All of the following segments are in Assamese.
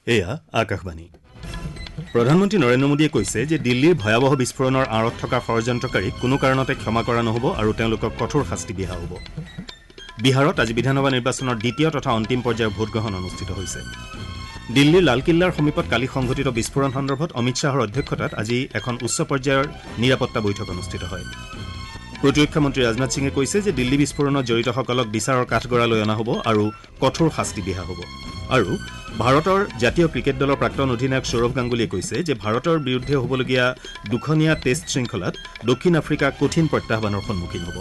এয়া আকাশবাণী। প্ৰধানমন্ত্ৰী নৰেন্দ্ৰ মোদীয়ে কৈছে যে দিল্লীৰ ভয়াৱহ বিস্ফোৰণৰ আঁৰত থকা ষড়যন্ত্ৰকাৰীক কোনো কাৰণতে ক্ষমা কৰা নহ'ব আৰু তেওঁলোকক কঠোৰ শাস্তি বিহা হ'ব। বিহাৰত আজি বিধানসভা নিৰ্বাচনৰ দ্বিতীয় তথা অন্তিম পৰ্যায়ৰ ভোটগ্ৰহণ অনুষ্ঠিত হৈছে। দিল্লীৰ লালকিল্লাৰ সমীপত কালি সংঘটিত বিস্ফোৰণ সন্দৰ্ভত অমিত শ্বাহৰ অধ্যক্ষতাত আজি এখন উচ্চ পৰ্যায়ৰ নিৰাপত্তা বৈঠক অনুষ্ঠিত হয়। প্ৰতিৰক্ষা মন্ত্ৰী ৰাজনাথ সিঙে কৈছে যে দিল্লী বিস্ফোৰণত জড়িতসকলক বিচাৰৰ কাঠগড়ালৈ অনা হ'ব আৰু কঠোৰ শাস্তি বিহা হ'ব। আৰু ভাৰতৰ জাতীয় ক্ৰিকেট দলৰ প্ৰাক্তন অধিনায়ক সৌৰভ গাংগুলীয়ে কৈছে যে ভাৰতৰ বিৰুদ্ধে হ'বলগীয়া দুখনীয়া টেষ্ট শৃংখলাত দক্ষিণ আফ্ৰিকা কঠিন প্ৰত্যাহ্বানৰ সন্মুখীন হ'ব।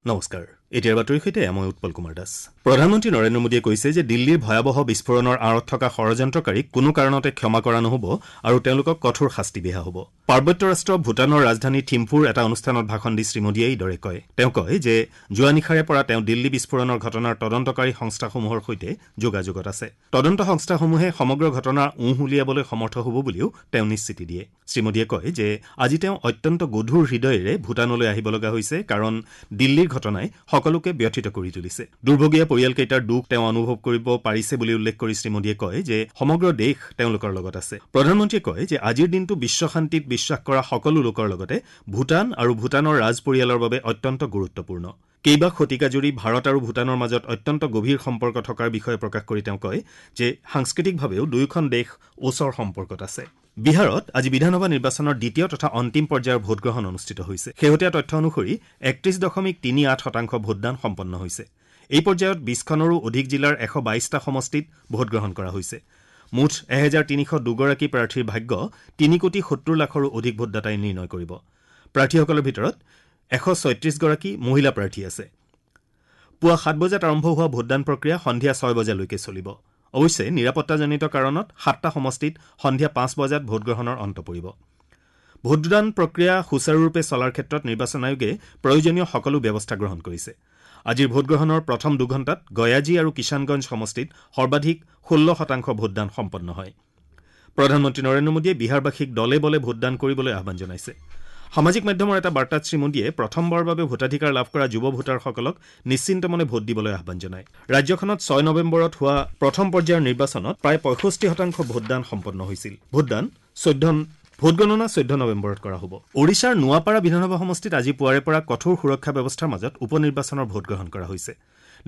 নমস্কাৰ, এতিয়াৰ বাতৰিৰ সৈতে মই উৎপল কুমাৰ দাস। প্ৰধানমন্ত্ৰী নৰেন্দ্ৰ মোদীয়ে কৈছে যে দিল্লীৰ ভয়াৱহ বিস্ফোৰণৰ আঁৰত থকা ষড়যন্ত্ৰকাৰীক কোনো কাৰণতে ক্ষমা কৰা নহ'ব আৰু তেওঁলোকক কঠোৰ শাস্তি বিহা হ'ব। পাৰ্বত্য ৰাষ্ট্ৰ ভূটানৰ ৰাজধানী থিম্পুৰ এটা অনুষ্ঠানত ভাষণ দি শ্ৰীমোদীয়ে এইদৰে কয়। তেওঁ কয় যে যোৱা নিশাৰে পৰা তেওঁ দিল্লী বিস্ফোৰণৰ ঘটনাৰ তদন্তকাৰী সংস্থাসমূহৰ সৈতে যোগাযোগত আছে। তদন্ত সংস্থাসমূহে সমগ্ৰ ঘটনাৰ উঁহ উলিয়াবলৈ সমৰ্থ হ'ব বুলিও তেওঁ নিশ্চিতি দিয়ে। শ্ৰীমোদীয়ে কয় যে আজি তেওঁ অত্যন্ত গধুৰ হৃদয়েৰে ভূটানলৈ আহিব লগা হৈছে, কাৰণ দিল্লীৰ ঘটনাই সকলোকে ব্যথিত কৰি তুলিছে। দুৰ্ভগীয়া পৰিয়ালকেইটাৰ দুখ তেওঁ অনুভৱ কৰিব পাৰিছে বুলি উল্লেখ কৰি শ্ৰীমোদীয়ে কয় যে সমগ্ৰ দেশ তেওঁলোকৰ লগত আছে। প্ৰধানমন্ত্ৰীয়ে কয় যে আজিৰ দিনটো বিশ্ব শান্তিত বিশ্বাস কৰা সকলো লোকৰ লগতে ভূটান আৰু ভূটানৰ ৰাজপৰিয়ালৰ বাবে অত্যন্ত গুৰুত্বপূৰ্ণ। কেইবা শতিকাজুৰি ভাৰত আৰু ভূটানৰ মাজত অত্যন্ত গভীৰ সম্পৰ্ক থকাৰ বিষয়ে প্ৰকাশ কৰি তেওঁ কয় যে সাংস্কৃতিকভাৱেও দুয়োখন দেশ ওচৰ সম্পৰ্কত আছে। বিহাৰত আজি বিধানসভা নিৰ্বাচনৰ দ্বিতীয় তথা অন্তিম পৰ্যায়ৰ ভোটগ্ৰহণ অনুষ্ঠিত হৈছে। শেহতীয়া তথ্য অনুসৰি ৩১.৩৮% ভোটদান সম্পন্ন হৈছে। এই পৰ্যায়ত ২০খনৰো অধিক জিলাৰ ১২২টা সমষ্টিত ভোটগ্ৰহণ কৰা হৈছে। মুঠ ১৩০২গৰাকী প্ৰাৰ্থীৰ ভাগ্য ৩ কোটি ৭০ লাখৰো অধিক ভোটদাতাই নিৰ্ণয় কৰিব। প্ৰাৰ্থীসকলৰ ভিতৰত ১৩৬গৰাকী মহিলা প্ৰাৰ্থী আছে। পুৱা ৭ বজাত আৰম্ভ হোৱা ভোটদান প্ৰক্ৰিয়া সন্ধিয়া ৬ বজালৈকে চলিব। অৱশ্যে নিৰাপত্তাজনিত কাৰণত ৭টা সমষ্টিত সন্ধিয়া ৫ বজাত ভোটগ্ৰহণৰ অন্ত পৰিব। ভোটদান প্ৰক্ৰিয়া সুচাৰুৰূপে চলাৰ ক্ষেত্ৰত নিৰ্বাচন আয়োগে প্ৰয়োজনীয় সকলো ব্যৱস্থা গ্ৰহণ কৰিছে। আজিৰ ভোটগ্ৰহণৰ প্ৰথম দুঘণ্টাত গয়াজী আৰু কিষাণগঞ্জ সমষ্টিত সৰ্বাধিক ১৬% ভোটদান সম্পন্ন হয়। প্ৰধানমন্ত্ৰী নৰেন্দ্ৰ মোদীয়ে বিহাৰবাসীক দলে বলে ভোটদান কৰিবলৈ আহ্বান জনাইছে। সামাজিক মাধ্যমৰ এটা বাৰ্তাত শ্ৰীমোদীয়ে প্ৰথমবাৰৰ বাবে ভোটাধিকাৰ লাভ কৰা যুৱ ভোটাৰসকলক নিশ্চিন্ত মনে ভোট দিবলৈ আহ্বান জনায়। ৰাজ্যখনত ৬ নৱেম্বৰত হোৱা প্ৰথম পৰ্যায়ৰ নিৰ্বাচনত প্ৰায় ৬৫% ভোটদান সম্পন্ন হৈছিল। ভোটগণনা ১৪ নৱেম্বৰত কৰা হ'ব। ওড়িশাৰ নোৱাপাৰা বিধানসভা সমষ্টিত আজি পুৱাৰে পৰা কঠোৰ সুৰক্ষা ব্যৱস্থাৰ মাজত উপ নিৰ্বাচনৰ ভোটগ্ৰহণ কৰা হৈছে।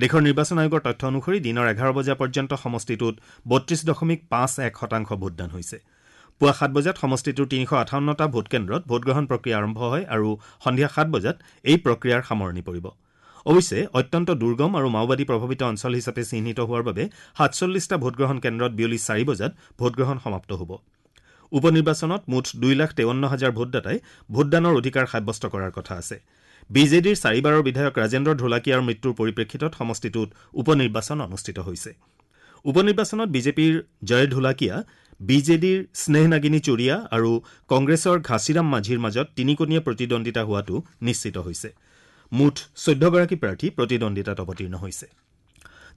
দেশৰ নিৰ্বাচন আয়োগৰ তথ্য অনুসৰি দিনৰ ১১ বজা পৰ্যন্ত সমষ্টিটোত ৩২.৫১% ভোটদান হৈছে। পুৱা ৭ বজাত সমষ্টিটোৰ ৩৫৮টা ভোটকেন্দ্ৰত ভোটগ্ৰহণ প্ৰক্ৰিয়া আৰম্ভ হয় আৰু সন্ধিয়া ৭ বজাত এই প্ৰক্ৰিয়াৰ সামৰণি পৰিব। অৱশ্যে অত্যন্ত দুৰ্গম আৰু মাওবাদী প্ৰভাৱিত অঞ্চল হিচাপে চিহ্নিত হোৱাৰ বাবে ৪৭টা ভোটগ্ৰহণ কেন্দ্ৰত বিয়লি ৪ বজাত ভোটগ্ৰহণ সমাপ্ত হ'ব। উপ নিৰ্বাচনত মুঠ ২,৫৩,০০০ ভোটদাতাই ভোটদানৰ অধিকাৰ সাব্যস্ত কৰাৰ কথা আছে। বি জে ডিৰ চাৰিবাৰৰ বিধায়ক ৰাজেন্দ্ৰ ঢোলাকিয়াৰ মৃত্যুৰ পৰিপ্ৰেক্ষিতত সমষ্টিটোত উপ নিৰ্বাচন অনুষ্ঠিত হৈছে। উপ নিৰ্বাচনত বিজেপিৰ জয় ঢোলাকিয়া, বি জে ডিৰ স্নেহ নাগিনী চুৰিয়া আৰু কংগ্ৰেছৰ ঘাছিৰাম মাঝিৰ মাজত তিনিকোণীয়া প্ৰতিদ্বন্দ্বিতা হোৱাটো নিশ্চিত হৈছে। মুঠ ১৪গৰাকী প্ৰাৰ্থী প্ৰতিদ্বন্দ্বিতাত অৱতীৰ্ণ হৈছে।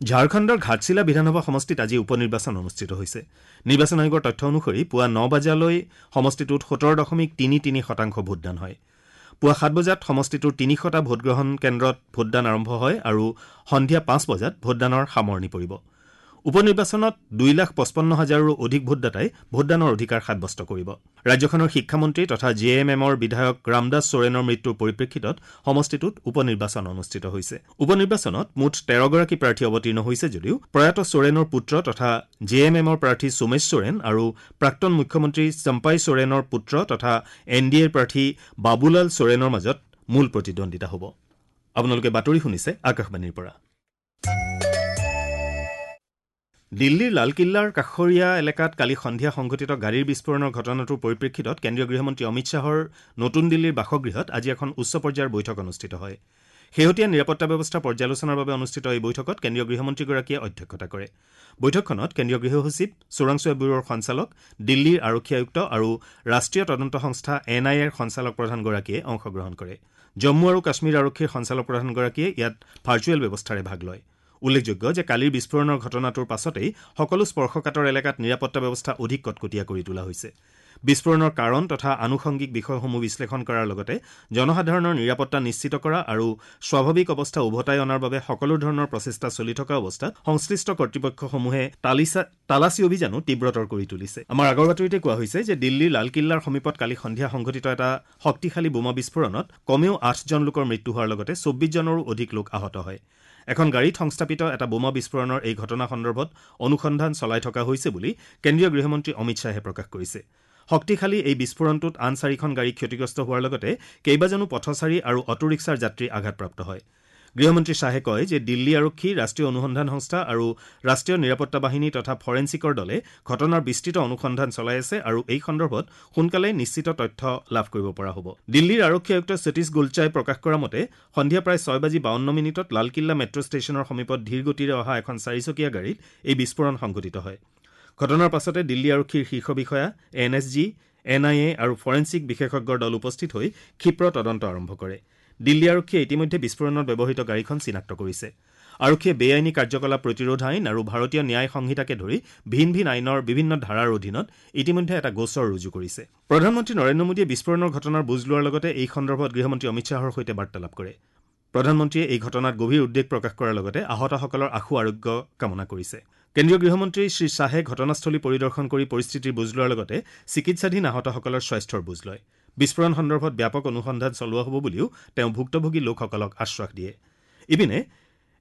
ঝাৰখণ্ডৰ ঘাটশিলা বিধানসভা সমষ্টিত আজি উপ নিৰ্বাচন অনুষ্ঠিত হৈছে। নিৰ্বাচন আয়োগৰ তথ্য অনুসৰি পুৱা ৯ বজালৈ সমষ্টিটোত ১৭.৩৩% ভোটদান হয়। পুৱা ৭ বজাত সমষ্টিটোৰ ৩০০টা ভোটগ্ৰহণ কেন্দ্ৰত ভোটদান আৰম্ভ হয় আৰু সন্ধিয়া ৫ বজাত ভোটদানৰ সামৰণি পৰিব। উপ নিৰ্বাচনত ২,৫৫,০০০ৰো অধিক ভোটদাতাই ভোটদানৰ অধিকাৰ সাব্যস্ত কৰিব। ৰাজ্যখনৰ শিক্ষামন্ত্ৰী তথা জে এম এমৰ বিধায়ক ৰামদাস সোৰেনৰ মৃত্যুৰ পৰিপ্ৰেক্ষিতত সমষ্টিটোত উপ নিৰ্বাচন অনুষ্ঠিত হৈছে। উপ নিৰ্বাচনত মুঠ ১৩গৰাকী প্ৰাৰ্থী অৱতীৰ্ণ হৈছে যদিও প্ৰয়াত সোৰেনৰ পুত্ৰ তথা জে এম এমৰ প্ৰাৰ্থী সোমেশ সোৰেন আৰু প্ৰাক্তন মুখ্যমন্ত্ৰী চম্পাই সোৰেনৰ পুত্ৰ তথা এন ডি এৰ প্ৰাৰ্থী বাবুলাল সোৰেনৰ মাজত মূল প্ৰতিদ্বন্দ্বিতা হ'ব। আপোনালোকে বাতৰি শুনিছে আকাশবাণীৰ পৰা। দিল্লীৰ লালকিল্লাৰ কাষৰীয়া এলেকাত কালি সন্ধিয়া সংঘটিত গাড়ীৰ বিস্ফোৰণৰ ঘটনাটোৰ পৰিপ্ৰেক্ষিতত কেন্দ্ৰীয় গৃহমন্ত্ৰী অমিত শ্বাহৰ নতুন দিল্লীৰ বাসগৃহত আজি এখন উচ্চ পৰ্যায়ৰ বৈঠক অনুষ্ঠিত হয়। শেহতীয়া নিৰাপত্তা ব্যৱস্থা পৰ্যালোচনাৰ বাবে অনুষ্ঠিত এই বৈঠকত কেন্দ্ৰীয় গৃহমন্ত্ৰীগৰাকীয়ে অধ্যক্ষতা কৰে। বৈঠকখনত কেন্দ্ৰীয় গৃহ সচিব, চোৰাংচোৱা ব্যুৰোৰ সঞ্চালক, দিল্লীৰ আৰক্ষী আয়ুক্ত আৰু ৰাষ্ট্ৰীয় তদন্ত সংস্থা এন আই এৰ সঞ্চালক প্ৰধানগৰাকীয়ে অংশগ্ৰহণ কৰে। জম্মু আৰু কাশ্মীৰ আৰক্ষীৰ সঞ্চালক প্ৰধানগৰাকীয়ে ইয়াত ভাৰ্চুৱেল ব্যৱস্থাৰে ভাগ লয়। উল্লেখযোগ্য যে কালিৰ বিস্ফোৰণৰ ঘটনাটোৰ পাছতেই সকলো স্পৰ্শকাতৰ এলেকাত নিৰাপত্তা ব্যৱস্থা অধিক কটকটীয়া কৰি তোলা হৈছে। বিস্ফোৰণৰ কাৰণ তথা আনুষংগিক বিষয়সমূহ বিশ্লেষণ কৰাৰ লগতে জনসাধাৰণৰ নিৰাপত্তা নিশ্চিত কৰা আৰু স্বাভাৱিক অৱস্থা উভতাই অনাৰ বাবে সকলো ধৰণৰ প্ৰচেষ্টা চলি থকা অৱস্থাত সংশ্লিষ্ট কৰ্তৃপক্ষসমূহে তালাচী অভিযানো তীব্ৰতৰ কৰি তুলিছে। আমাৰ আগৰ বাতৰিতে কোৱা হৈছে যে দিল্লীৰ লালকিল্লাৰ সমীপত কালি সন্ধিয়া সংঘটিত এটা শক্তিশালী বোমা বিস্ফোৰণত কমেও ৮জন লোকৰ মৃত্যু হোৱাৰ লগতে ২৪জনৰো অধিক লোক আহত হয়। এখন গাড়ীত সংস্থাপিত এটা বোমা বিস্ফোৰণৰ এই ঘটনা সন্দৰ্ভত অনুসন্ধান চলাই থকা হৈছে বুলি কেন্দ্ৰীয় গৃহমন্ত্ৰী অমিত শ্বাহে প্ৰকাশ কৰিছে। শক্তিশালী এই বিস্ফোৰণটোত আন ৪খন গাড়ী ক্ষতিগ্ৰস্ত হোৱাৰ লগতে কেইবাজনো পথচাৰী আৰু অটোৰিক্সাৰ যাত্ৰী আঘাতপ্ৰাপ্ত হয়। গৃহমন্ত্ৰী শ্বাহে কয় যে দিল্লী আৰক্ষী, ৰাষ্ট্ৰীয় অনুসন্ধান সংস্থা আৰু ৰাষ্ট্ৰীয় নিৰাপত্তা বাহিনী তথা ফৰেনছিকৰ দলে ঘটনাৰ বিস্তৃত অনুসন্ধান চলাই আছে আৰু এই সন্দৰ্ভত সোনকালে নিশ্চিত তথ্য লাভ কৰিব পৰা হ'ব। দিল্লীৰ আৰক্ষী আয়ুক্ত সতীশ গোলচাই প্ৰকাশ কৰা মতে সন্ধিয়া প্ৰায় ৬:৫২ লালকিল্লা মেট্ৰ' ষ্টেচনৰ সমীপত ধীৰ গতিৰে অহা এখন চাৰিচকীয়া গাড়ীত এই বিস্ফোৰণ সংঘটিত হয়। ঘটনাৰ পাছতে দিল্লী আৰক্ষীৰ শীৰ্ষ বিষয়া, N S G, N I A আৰু ফৰেনছিক বিশেষজ্ঞৰ দল উপস্থিত হৈ ক্ষীপ্ৰ তদন্ত আৰম্ভ কৰে। দিল্লী আৰক্ষীয়ে ইতিমধ্যে বিস্ফোৰণত ব্যৱহৃত গাড়ীখন চিনাক্ত কৰিছে। আৰক্ষীয়ে বেআইনী কাৰ্যকলাপ প্ৰতিৰোধ আইন আৰু ভাৰতীয় ন্যায় সংহিতাকে ধৰি ভিন ভিন আইনৰ বিভিন্ন ধাৰাৰ অধীনত ইতিমধ্যে এটা গোচৰ ৰুজু কৰিছে। প্ৰধানমন্ত্ৰী নৰেন্দ্ৰ মোদীয়ে বিস্ফোৰণৰ ঘটনাৰ বুজ লোৱাৰ লগতে এই সন্দৰ্ভত গৃহমন্ত্ৰী অমিত শ্বাহৰ সৈতে বাৰ্তালাপ কৰে। প্ৰধানমন্ত্ৰীয়ে এই ঘটনাত গভীৰ উদ্বেগ প্ৰকাশ কৰাৰ লগতে আহতসকলৰ আশু আৰোগ্য কামনা কৰিছে। কেন্দ্ৰীয় গৃহমন্ত্ৰী শ্ৰী শ্বাহে ঘটনাস্থলী পৰিদৰ্শন কৰি পৰিস্থিতিৰ বুজ লোৱাৰ লগতে চিকিৎসাধীন আহতসকলৰ স্বাস্থ্যৰ বুজ লয়। বিস্ফোৰণ সন্দৰ্ভত ব্যাপক অনুসন্ধান চলোৱা হ'ব বুলিও তেওঁ ভুক্তভোগী লোকসকলক আশ্বাস দিয়ে। ইপিনে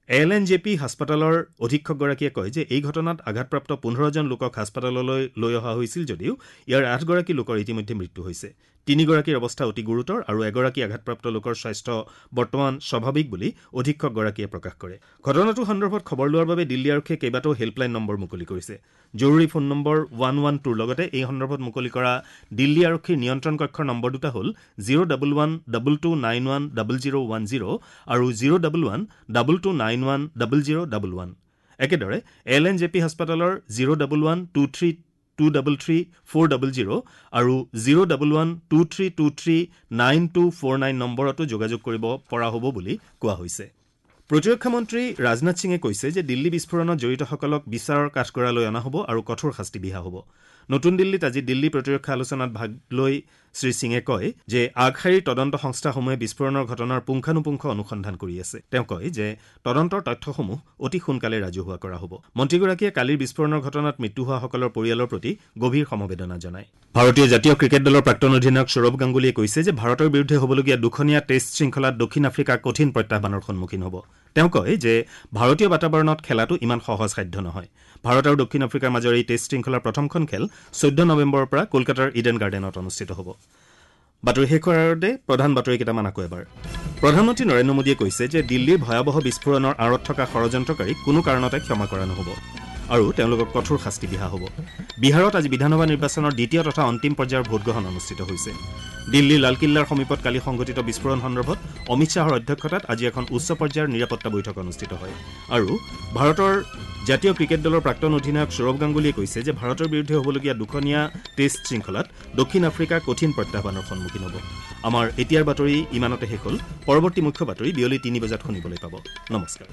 এল এন জে পি হাস্পতালৰ অধীক্ষকগৰাকীয়ে কয় যে এই ঘটনাত আঘাতপ্ৰাপ্ত ১৫জন লোকক হাস্পতাললৈ লৈ অহা হৈছিল যদিও ইয়াৰ ৮গৰাকী লোকৰ ইতিমধ্যে মৃত্যু হৈছে। ৩গৰাকীৰ অৱস্থা অতি গুৰুতৰ আৰু এগৰাকী আঘাতপ্ৰাপ্ত লোকৰ স্বাস্থ্য বৰ্তমান স্বাভাৱিক বুলি অধীক্ষকগৰাকীয়ে প্ৰকাশ কৰে। ঘটনাটো সন্দৰ্ভত খবৰ লোৱাৰ বাবে দিল্লী আৰক্ষীয়ে কেইবাটাও হেল্পলাইন নম্বৰ মুকলি কৰিছে। জৰুৰী ফোন নম্বৰ 112ৰ লগতে এই সন্দৰ্ভত মুকলি কৰা দিল্লী আৰক্ষীৰ নিয়ন্ত্ৰণ কক্ষৰ নম্বৰ দুটা হ'ল 011 22 91 0010 আৰু 011 22 91 0011। একেদৰে এল এন জে পি হাস্পতালৰ 011 23 233 400 আৰু 011 23 23 9249 নম্বৰতো যোগাযোগ কৰিব পৰা হ'ব বুলি কোৱা হৈছে। প্ৰতিৰক্ষা মন্ত্ৰী ৰাজনাথ সিঙে কৈছে যে দিল্লী বিস্ফোৰণত জড়িতসকলক বিচাৰৰ কাঠগড়ালৈ অনা হ'ব আৰু কঠোৰ শাস্তি বিহা হ'ব। নতুন দিল্লীত আজি দিল্লী প্ৰতিৰক্ষা আলোচনাত ভাগ লৈ শ্ৰী সিঙে কয় যে আগশাৰীৰ তদন্ত সংস্থাসমূহে বিস্ফোৰণৰ ঘটনাৰ পুংখানুপুংখ অনুসন্ধান কৰি আছে। তেওঁ কয় যে তদন্তৰ তথ্যসমূহ অতি সোনকালে ৰাজহুৱা কৰা হ'ব। মন্ত্ৰীগৰাকীয়ে কালিৰ বিস্ফোৰণৰ ঘটনাত মৃত্যু হোৱাসকলৰ পৰিয়ালৰ প্ৰতি গভীৰ সমবেদনা জনায়। ভাৰতীয় জাতীয় ক্ৰিকেট দলৰ প্ৰাক্তন অধিনায়ক সৌৰভ গাংগুলীয়ে কৈছে যে ভাৰতৰ বিৰুদ্ধে হ'বলগীয়া দুখনীয়া টেষ্ট শৃংখলাত দক্ষিণ আফ্ৰিকা কঠিন প্ৰত্যাহ্বানৰ সন্মুখীন হ'ব। তেওঁ কয় যে ভাৰতীয় বাতাবৰণত খেলাটো ইমান সহজসাধ্য নহয়। ভাৰত আৰু দক্ষিণ আফ্ৰিকাৰ মাজৰ এই টেষ্ট শৃংখলাৰ প্ৰথমখন খেল ১৪ নৱেম্বৰৰ পৰা কলকাতাৰ ইডেন গাৰ্ডেনত অনুষ্ঠিত হ'ব। বাতৰি শেষ কৰাৰ আগতে প্ৰধান বাতৰি কেইটামান আকৌ এবাৰ। প্ৰধানমন্ত্ৰী নৰেন্দ্ৰ মোদীয়ে কৈছে যে দিল্লীৰ ভয়াৱহ বিস্ফোৰণৰ আঁৰত থকা ষড়যন্ত্ৰকাৰীক কোনো কাৰণতে ক্ষমা কৰা নহ'ব আৰু তেওঁলোকক কঠোৰ শাস্তি বিহা হ'ব। বিহাৰত আজি বিধানসভা নিৰ্বাচনৰ দ্বিতীয় তথা অন্তিম পৰ্যায়ৰ ভোটগ্ৰহণ অনুষ্ঠিত হৈছে। দিল্লীৰ লালকিল্লাৰ সমীপত কালি সংঘটিত বিস্ফোৰণ সন্দৰ্ভত অমিত শ্বাহৰ অধ্যক্ষতাত আজি এখন উচ্চ পৰ্যায়ৰ নিৰাপত্তা বৈঠক অনুষ্ঠিত হয়। আৰু ভাৰতৰ জাতীয় ক্ৰিকেট দলৰ প্ৰাক্তন অধিনায়ক সৌৰভ গাংগুলীয়ে কৈছে যে ভাৰতৰ বিৰুদ্ধে হ'বলগীয়া দুখনীয়া টেষ্ট শৃংখলাত দক্ষিণ আফ্ৰিকা কঠিন প্ৰত্যাহ্বানৰ সন্মুখীন হ'ব। আমাৰ এতিয়াৰ বাতৰি ইমানতে শেষ হ'ল। পৰৱৰ্তী মুখ্য বাতৰি বিয়লি ৩ বজাত শুনিবলৈ পাব। নমস্কাৰ।